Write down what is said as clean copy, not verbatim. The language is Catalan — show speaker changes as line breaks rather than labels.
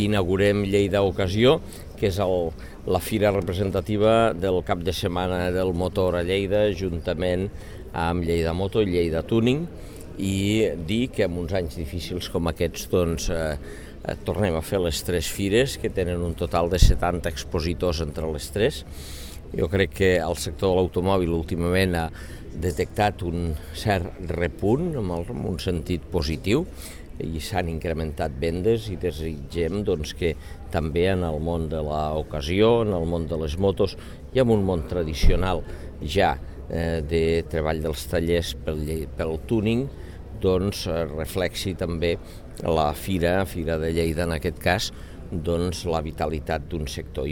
Inaugurem Lleida Ocasió, que és la fira representativa del cap de setmana del motor a Lleida, juntament amb Lleida Moto i Lleida Tuning, i dir que en uns anys difícils com aquests tornem a fer les tres fires, que tenen un total de 70 expositors entre les tres. Jo crec que el sector de l'automòbil últimament ha detectat un cert repunt, en un sentit positiu, i s'han incrementat vendes i desitgem que també en el món de l'ocasió, en el món de les motos i en un món tradicional ja de treball dels tallers pel tuning, reflexi també la Fira de Lleida, en aquest cas, la vitalitat d'un sector.